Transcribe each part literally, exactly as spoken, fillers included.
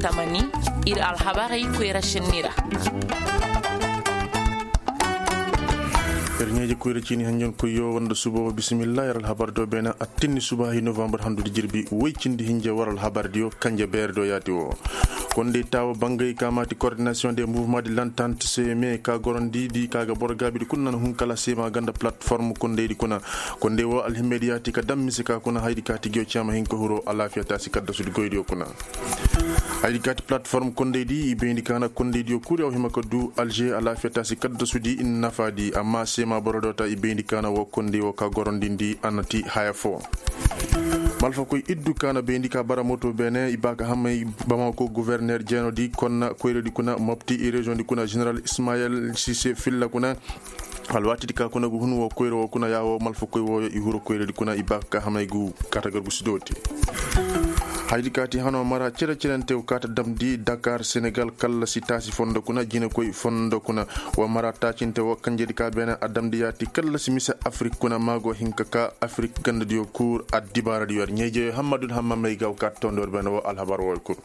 Tamani, ir alhabarey koyra šenni ra. Ir ɲeeje koyra ciini hanjankoyyo wanda suba wo bisimilla. Ir alhabar do beene attinni suba hay novambar handudi jirbi woy cindi hinja war alhabar diyo kanje beer do yaati wo. Kondey taawo bangay ka maati koordinasiyoŋ de muvuma de lantant seme ka gorondi di ka ga boro gaabidi kuna na hun kala sema ganda platform kondey di kuna. Kondey wo alhimmey di yaati ka dam mise ka kuna haydi ka tigiyo cema hinka huro alaafiya taasi kaddasudi goydiyo kuna. Haydi kaati platform kondey di i bayndi kaana kondey diyo kuri aw hima ka du alže alaafiya taasi kaddasu di i na nafa di amma seema boro do ta i bayndi kaana wo kondey wo ka gorondindi a na ti haya fo. Malfakoy iddu kaana bayndi ka bara moto beene i ba ka hamay bamako governer jeeno di konna koyra di kuna mopti i reziyoŋ di kuna general ismayel sise filla kuna. Alwaatidi ka kuna gu hun wo koyra wo kuna yaawo malfakoy wooyo i huro koyradi kuna i ba ka ka hamay gu kaata gargusi dooti. Haydi kaati hano mara cere cerente wo kaata damdi dakar senegal kallasi taasi fondo kuna jinekoy fondo kuna. Wo mara taacinte wo kanjedi ka beene a damdi yaati kallasi mise afirik kuna maago hinka ka afirik gandadiyo kuur addibaaradiyo yer ɲeejeyo hammadun hamma may ga wo kaata tondor beene wo alhabar wooyo kul.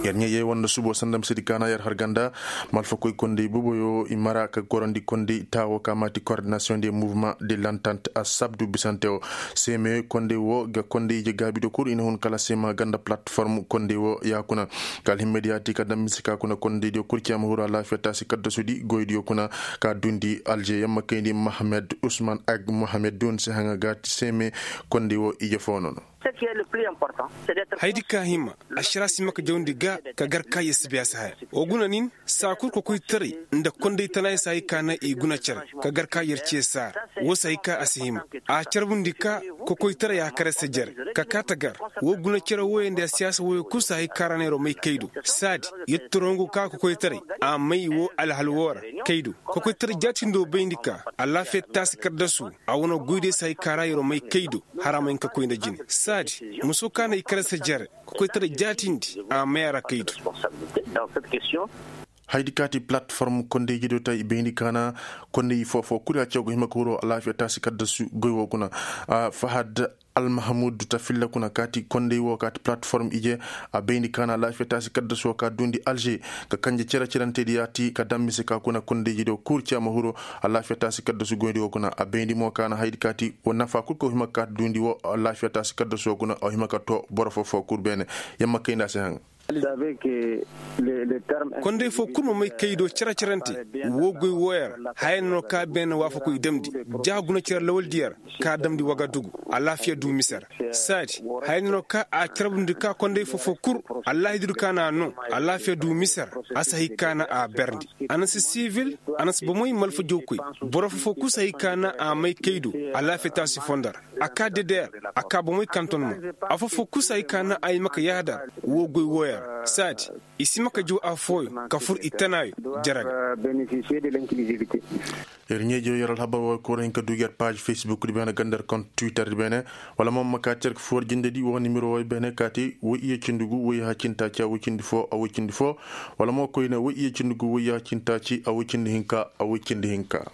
Yer ɲeejey wanda subo sanda misedi kaana yer har ganda. Malfakoy kondey boboyo i mara ka gorondi kondey taawo ka maati koordinasiyoŋ de muvuma de lantant a sabdu bisante wo. Seeme kondey wo ga kondey ije gaabido kul i na hun kala seema ganda platform kondey wo ya kuna. Ka alhimmey di yaati ka dam mise ka kuna kondey diyo kul ciyama huru alaafiya taasi kaddasudi goy diyo kuna. Ka dundi alže yamma kayndi mohamed usman ag mohamed dun si haŋa gaati seeme kondey wo ije fo nono. Haydi ka hima, ašara si ma ka jawndi ga ka gar ka yer si bay a si haya. Wo guna nin saa kul kokoytaray nda kondey tana yer si hay ka na i guna cere ka gar ka yer ce saara. Wo si hay ka a si hima a carbundi ka kokoytaray a kare se jere ka kaa ta gar. Wo guna cere wooyo nda siyaasa wooyo kul si hay ka ra neeroo may kay do. Saadi yer ti rongu ka kokoytaray a may wo alhal woo ra kay do. Kokoytaray jaatindo bayndi ka alaafiya taasi kaddasu a wane goydiyo si hay ka ra yeroo may kay do. Hara ma hin ka koy nda jine saadi muso ka na i kare se jere. Kokoytaray jaatindi a may a ra kay do. Haydi kaati platform kondey jido ta i bayndi kaana kondey foo-foo kuri a caw ga hima ka huroo alaafiya taasi kaddasu goy woo kuna. Fahad almahamud ta filla kuna kaati kondey woo kaati platform ije. A bayndi kaana alaafiya taasi kaddasu woo ka duundi alže ka kanje cere-cerentedi yaati ka dam mise ka kuna kondey jido kuri cee ma huroo. Alaafiya taasi kaddasu goyndi woo kuna a bayndi mo kaana haydi kaati woo nafa kul ka woo hima ka kaati duundi woo alaafiya taasi kaddasu woo kuna a woo hima ka too boro foo-foo kul beene. Yamma kay nda a si haŋ. Konday foo kul ma may kay do cere-cerante. Woo goy wooyo ra haya no ka beene waafakoy damndi. Ja guna cere lawaldiyo ra ka damndi wagadugu. Alaafiya du mise ra. Saadi haya no ka a carbundi ka konday foo-foo kul. Allaahidi du ka na a noo. Alaafiya du mise ra. A si hay ka na a berndi. A na si sivil. A na si bomoy malfa jawkoy. Boro foo-foo kul si hay ka na a may kay do. Alaafiya taasi fondo ra. A kaa dedeer. A kaa bomoy kanton mo. Afoo-foo kul si hay ka na ay ma ka yaadar. Woo goy wooyo ra saadi. I si ma ka jaw afooyo ka fur i tanaayo. Jere ga. Ir ɲeejo yer alhabar wooyo kul ra hin ka duu yer paaz fesbuk di beene ganda yer kont twitter di beene. Wala mo ma kaati yer ka foo war jindedi woo nimero wooyo beene kaati woy iyye cindi gu woy yaaha cindi taaci a woy cindi foo a woy cindi foo. Wala mo koyne woy iyye cindi gu woy yaaha cindi taaci a woy cindi hinka a woy cindi hinka.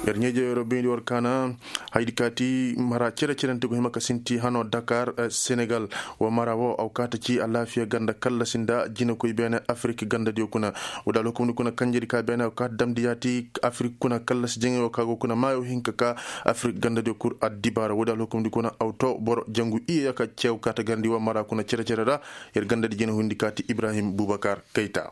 Yer ɲeeje yeroo bayndi war kaana. Haydi kaati mara cere-cerente go hima ka sinti hanoo dakar senegal. Woo mara woo a wa kaati ci alaafiya ganda kallasi nda jinekoy beene afirik gandadiyo kuna. Woodi alhukumdi kuna kanjedi ka beene a wa kaati damndi yaati afirik kuna kallasi jaŋay woo ka go kuna maayo hinka ka afirik gandadiyo kul addibaara woodi alhukumdi kuna a wa too boro jangu iyye ya ka ceew kaati garndi woo mara kuna cere-cere ra. Yer gandadi jine hundi kaati ibrahim bubakar kayta.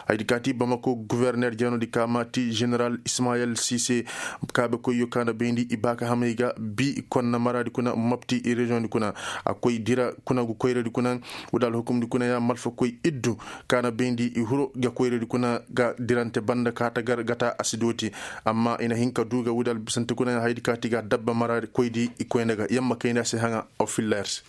Haydi kaati bamako guverner jeenodi ka maati general ismayel sise. Kaabekoyyo ka na bayndi i baaka hamay ga bi konna maradi kuna mopti i reziyoŋdi kuna. A koy dira kuna gu koyradi kuna. Woodi alhukumdi kuna ya malfakoy iddu ka na bayndi i huro ga koyradi kuna ga dirante banda ka ta gar ga ta a si dooti. Amma i na hin ka du ga woodi albisante kuna ya haydi kaati ga dabba maradi koydi i koyne ga yamma kayndi a si haŋa. Aw filla yer se.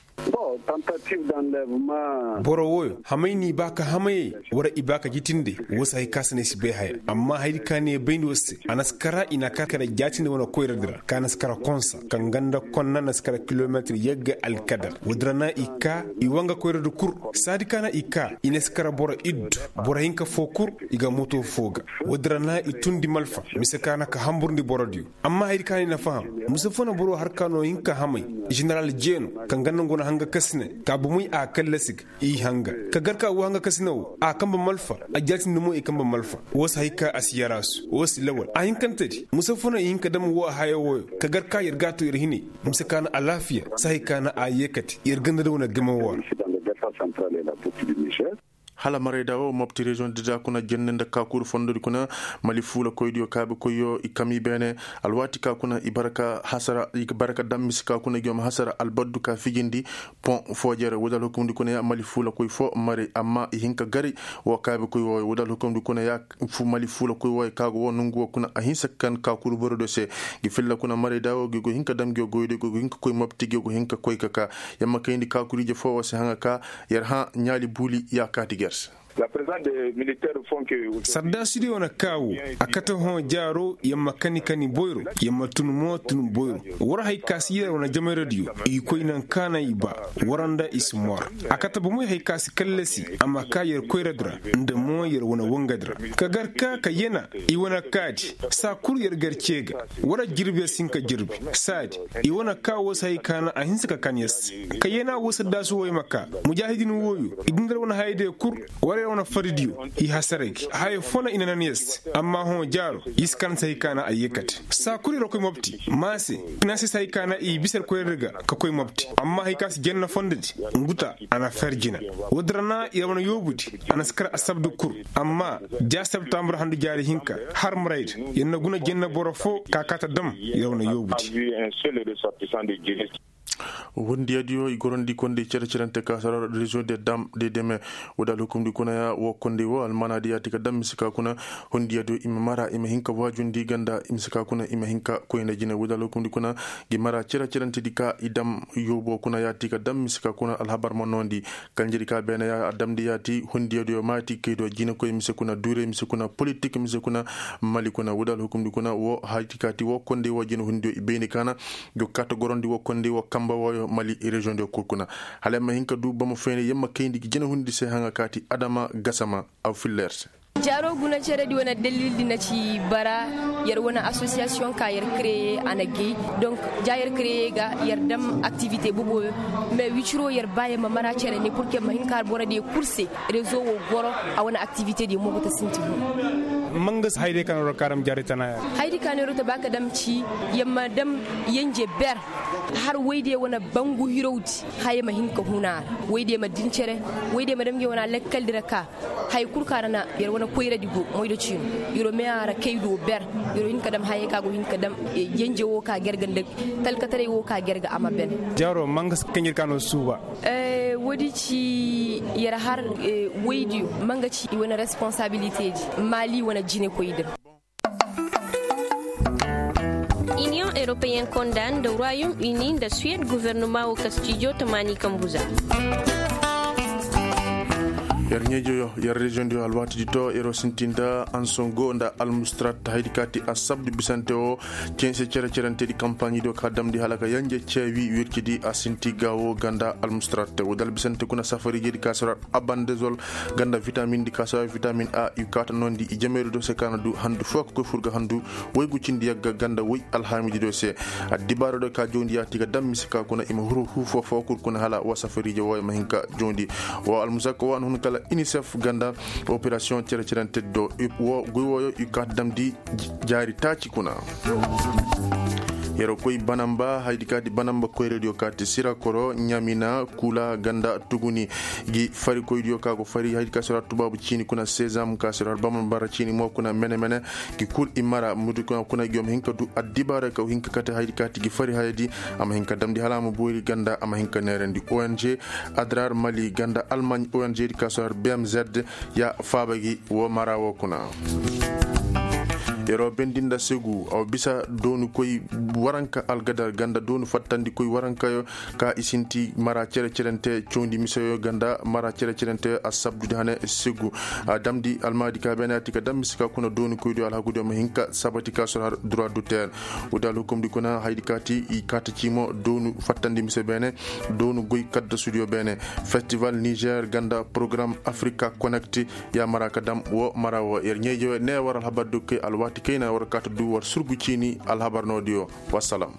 Boro wooyo hamay n'i ba ka hamayey wara i ba ka jitindey. Woo si hay ka se no ay si bay haya amma hayadi ka ne bayndi woo se a na si kara i na a kar kara jaatindi wane koyradi ra ka na si kara konsa kaŋ ganda konna na si kara kilometir yagga alkadar. Woodi ra na i ka i wanga koyradi kul. Saadi ka na i ka i na si kara boro iddu boro hinka foo kul. I ga moto foo ga. Woodi ra na i tundi malfa mise ka na ka hamburndi borodiyo. Amma hayadi ka na i na faham mise foo na boro har ka no hinka hamay. Ženeral jeeno kaŋ ganda ngo na Hanga kasine ka bomey a kallasi ga i hanga ka gar ka woo hanga kasine woo a kanbe malfa. A jaatindi mo i kanbe malfa. Woo si hay ka a si yaraasu woo si lawal a hinkantedi musafo no i hin ka dam woo haya wooyo ka gar ka yer g'a too yer hinay. Mise ka na alaafiya si hay ka na a yeekate yer ganda da wane game woo ra. Hala marayda woo mopti reziyoŋ dida kuna jenne nda kaakuru fondodi kuna. Mali fuulakoydiyo kaabekoyyo i kam i beene. Alwaati ka kuna i bara ka hasara i bara ka dam mise ka kuna i ga ma hasara albaddu ka fijindi. Pon foojere woodi alhukumdi kuna ya mali fuulakoy foo maray amma i hin ka gari. Woo kaabekoy wooyo woodi alhukumdi kuna ya mali fuulakoy wooyo ka go woo nongu woo kuna a hinsa ka kan kaakuru borodiyo se. Ngi filla kuna marayda woo ngi go hin ka dam ngi goydiyo go hin ka koy mopti ngi go hin ka koy ka kaa. Yamma kayndi kaakuriije foo woo se haŋa ka yer hã ɲaali buuli ya kaati ger se. Sardaasidiyo na kaa woo a kate hõ jaaro yer ma kani kani boyro. Yer ma tun mo tun boyro. War hay ka si yer wane jamayradiyo i koy naŋ ka na i ba. War nda i si mor. A kate bomoy hay ka si kallasi a ma kaa yer koyradi ra nda mo yer wane wangadi ra. Ka gar ka ka yena i wane kaadi saa kul yer gar cee ga. War jirbi yer si hin ka jirbi saadi. I wane kaa woo si hay ka na a hinsa ka kan yer se. Ka yena woo saddaasu wooyo ma kaa. Mujaahidin wooyo i din da yer wane hayadiyo kul. War yer wane faridiyo i hasara gi haya foo na i na nan yer se. Amma hõ jaaro i si kan si hay ka na a yeekate saa kul yer koy mopti. Maa se i na se si hay ka na i bisa yer koyra ga ka koy mopti. Amma hay ka si janna fondodi. Nguta a na fer jina. Woodi ra na yer wane yoobudi a na si kar asabdu kul. Amma ja septambur handu jaari hinka har marayda yer na guna janna boro foo ka kaa ta dam yer wane yoobudi. Wondiyadiyo i gorandi kondey cere-cerante ka sara reziyoŋ de dam de deme. Woodi alhukumdi kuna ya woo kondey woo almaanaadi yaati ka dam mise ka kuna. Wondiyadiyo i ma mara i ma hin ka waajundi ganda mise ka kuna i ma hin ka koy nda jine woodi alhukumdi kuna. Ngi mara cere-cerantedi ka i dam yoobo kuna yaati ka dam mise ka kuna alhabar ma noondi. Kanjedi ka beene ya a damndi yaati wondiyadiyo maati kaydiyo jinekoy mise kuna duurey mise kuna politik mise kuna. Mali kuna woodi alhukumdi kuna woo hayti kaati woo kondey woo jine wondiyo i bayndi kaana. Ngi go kaati gorondi woo kondey woo kamba wooyo mali reziyoŋdiyo kul kuna. Hala yer ma hin ka duu bama fayni yer ma kayndi ngi jine wondi se haŋa kaati adama gasama. Aw filla yer se. Jaaro guna ceredi wane dalildi na ci bara. Yer wane asosiyasiyoŋ ka yer kereye a na gay. Donk ja yer kereye ga yer dam aktivite boboyo. Mais wiciro yer ba yer ma mara cere ne pur ke ma hin ka borodiyo kul se. Rezo wo goro a wane aktivitedi mo go ta sinti hun. Mangas hayday ka no ra karam jaari tana ya. Hayday ka no ra ta ba ka dam ci yamma dam yanje ber. Har wayde wane bangu hirawdi haya ma hin ka huna ra. Wayde ma din cere. Wayde ma dam ge wane lekkaldi ra ka. Hay kul ka ra na yer wane koyradi go moydo ciino. Yer wo me a ra kay do ber. Yer wo hin ka dam hayay ka go hin ka dam yanje wo ka gerga nda talkataray wo ka gerga a ma ben. Jaaro mangas kanjir ka no suuba. Woodi ci yer har waydiyo. Ma nga ci i wane responsabilitedi maali wane jinekoydi ra. Iniyoŋ eropeyen konda nda royom uni nda suwed guvernoma wo kastijo tamaani kambuza. Yer ɲeejoyo yer reziyoŋdiyo alwaatidi to yer wo sinti nda ansongo nda almustrat haydi kaati asabdu bisante wo. Cense cere-cerentedi kampaaɲidiyo ka damndi hala ka yanje ceewi wircidi a sinti gaawo ganda almustrat woodi albisante kuna safariijedi ka sara abandezol ganda vitamin di ka sara vitamin a i kaata noondi i jameeri do se ka na du handu foo ka koy fur ga handu. Woy gu cindi yagga ganda woy alhaamididiyo se. Addibaaradiyo ka jawndi yaati ga dam mise ka kuna i ma huru huu foo foo kul kuna hala wa safariije wooyo ma hin ka jawndi. Wa almusakka wa na hun kala inisef ganda operasiyoŋ cere-cerentedi do. Wo goy wooyo i kaata damndi jaari taaci kuna. Yeroo koy banamba haydi kaati banamba koyradiyo kaati sira koro ɲamina kula ganda tuguni. Gi fari koydiyo ka go fari haydi ka sira tubaabu ciini kuna sezam ka sira banamba ra ciini mo kuna mene-mene. Gi kul i mara mudu kuna kuna gi yom hin ka du addibaara ka hin ka kate haydi kaati gi fari hayadi. A ma hin ka damndi hala a ma boori ganda a ma hin ka neerandi ong adrar mali ganda almaŋ ong di ka sira bmz. Ya faaba gi wo mara wo kuna. Yeroo bendi nda segu a wa bisa doonu koy waranka algadar ganda doonu fattandi koy warankayo. Ka i sinti mara cere-cerente cawndi miseyo ganda mara cere-cerente a sabdudi hane segu. A damndi almaadi ka beene a ti ka dam mise ka kuna doonu koydiyo alhakudiyo ma hin ka sabati ka sor har droit d'auteur. Woodi alhukumdi kuna haydi ka ti i kaata ciimo doonu fattandi mise beene. Doonu goy kaddasudiyo beene. Festival niger ganda porogaram afrika connect. Ya mara ka dam wo mara wo yer ɲeeje ne war alhabar du kay alwaati kayna war kaata du war surgu ciini alhabar noodiyo. Wassalam.